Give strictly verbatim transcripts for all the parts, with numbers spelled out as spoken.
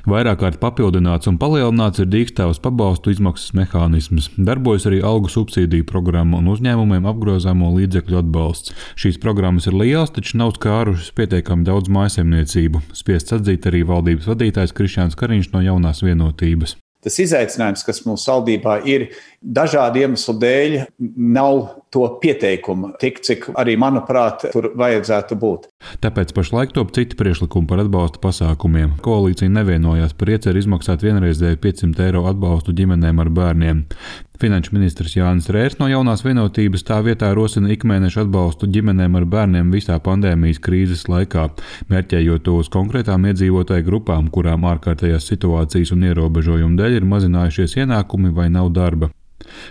Vairāk kārt papildināts un palielināts ir dīkstāvas pabalstu izmaksas mehānisms. Darbojas arī algu subsīdiju programma un uzņēmumiem apgrozāmo līdzekļu atbalsts. Šīs programmas ir lielas, taču nav skārušas pietiekami daudz mājsaimniecību. Spiests atzīt arī valdības vadītājs Krišjāns Kariņš no Jaunās Vienotības. Tas izaicinājums, kas mūsu valdībā ir, dažādu iemeslu dēļ nav to pieteikumu tik, cik arī, manuprāt, tur vajadzētu būt. Tāpēc pašlaik top citi priekšlikumi par atbalsta pasākumiem. Koalīcija nevienojās par ieceri izmaksāt vienreizēju piecsimt eiro atbalstu ģimenēm ar bērniem. Finanšu ministrs Jānis Rērs no Jaunās Vienotības tā vietā rosina ikmēneša atbalstu ģimenēm ar bērniem visā pandēmijas krīzes laikā, mērķējot to uz konkrētām iedzīvotāju grupām, kurām ārkārtējās situācijas un ierobežojumu dēļ ir mazinājušies ienākumi vai nav darba.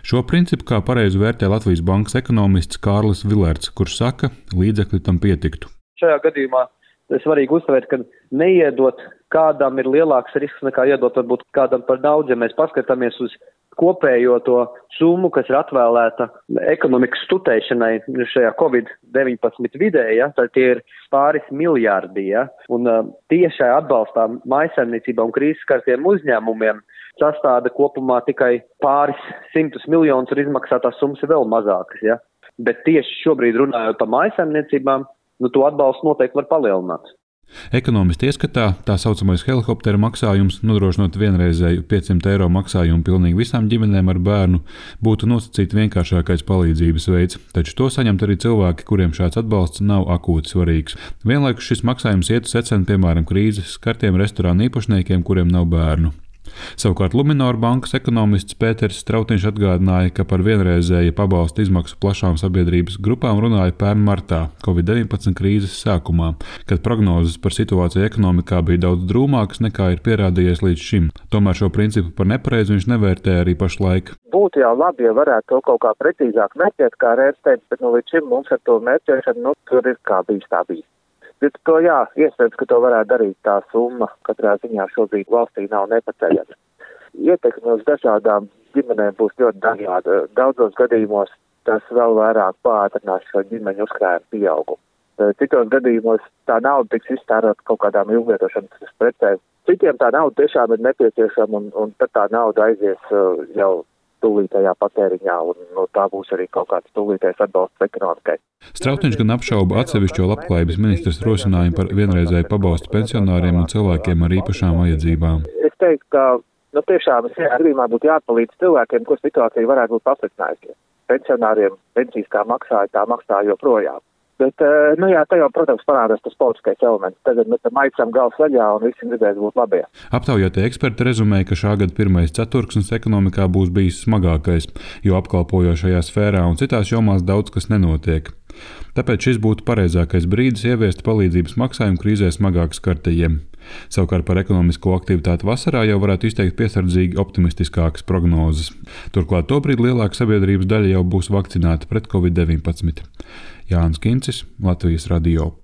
Šo principu kā pareizi vērtē Latvijas Bankas ekonomists Kārlis Vilerts, kurš saka, līdzekļi tam pietiktu. Šajā gadījumā ir svarīgi uzsvērt, ka neiedot kādam ir lielāks risks nekā iedot varbūt kādam par daudz, ja mēs paskatāmies uz kopējo to summu, kas ir atvēlēta ekonomikas stutēšanai šajā covid deviņpadsmit vidē, ja, tad tie ir pāris miljārdi, ja, un uh, tiešai atbalstā mājsaimniecībā un krīzes skartiem uzņēmumiem sastāda kopumā tikai pāris simtus miljonus un izmaksātās summas ir vēl mazākas, ja. Bet tieši šobrīd runājot par mājsaimniecībām, nu to atbalstu noteikti var palielināt. Ekonomisti ieskatā tā saucamais helikoptera maksājums, nodrošinot vienreizēju piecsimt eiro maksājumu pilnīgi visām ģimenēm ar bērnu, būtu nosacīt vienkāršākais palīdzības veids, taču to saņemt arī cilvēki, kuriem šāds atbalsts nav akūti svarīgs. Vienlaikus šis maksājums ietu secen, piemēram, krīzes skartiem restorānu īpašniekiem, kuriem nav bērnu. Savukārt Luminor bankas ekonomists Pēters Strautiņš atgādināja, ka par vienreizēju pabalstu izmaksu plašām sabiedrības grupām runāja pērn martā, covid deviņpadsmit krīzes sākumā, kad prognozes par situāciju ekonomikā bija daudz drūmākas nekā ir pierādījies līdz šim. Tomēr šo principu par nepareizu viņš nevērtē arī pašlaik. Būtu jau labi, ja varētu to kaut kā precīzāk mērķēt, kā Rērs teica, bet nu, līdz šim mums ar to mērķēšanu, nu, tur ir kā bijis tā bijis. Bet to jā, iespējams, ka to varētu darīt tā summa, katrā ziņā šobrīd valstī nav nepaceļama. Ietekme uz dažādām ģimenēm būs ļoti dažāda. Daudzos gadījumos tas vēl vairāk pātrinās šo ģimeņu uzkrājumu pieaugumu. Citos gadījumos tā nauda tiks iztērēta kaut kādām ilgvietošanas precēm. Citiem tā nauda tiešām ir nepieciešama un, un tad tā nauda aizies jau tūlītējā patēriņā, un no tā būs arī kaut kāds tūlītējs atbalsts ekonomikai. Strautiņš gan apšauba atsevišķo labklājības ministras rosinājumu par vienreizēju pabalstu pensionāriem un cilvēkiem ar īpašām vajadzībām. Es teiktu, ka nu, tiešām šajā gadījumā būtu jāpalīdz cilvēkiem, ko situācija varētu būt pasliktinājusies. Pensionāriem pensijas kā maksāja, tā maksāja joprojām. Bet, nu jā, tā jau, protams, parādās tas politiskais elements. Tagad mēs tam aicam gals vaļā un visi gribēs būt labie. Aptaujātie eksperti rezumēja, ka šā gada pirmais ceturksnis ekonomikā būs bijis smagākais, jo apkalpojošajā sfērā un citās jomās daudz kas nenotiek. Tāpēc šis būtu pareizākais brīdis ieviest palīdzības maksājumu krīzē smagāk skartajiem. Savukārt par ekonomisko aktivitāti vasarā jau varētu izteikt piesardzīgi optimistiskākas prognozes. Turklāt tobrīd lielāka sabiedrības daļa jau būs vakcinēta pret covid deviņpadsmit. Jānis Kincis, Latvijas radio.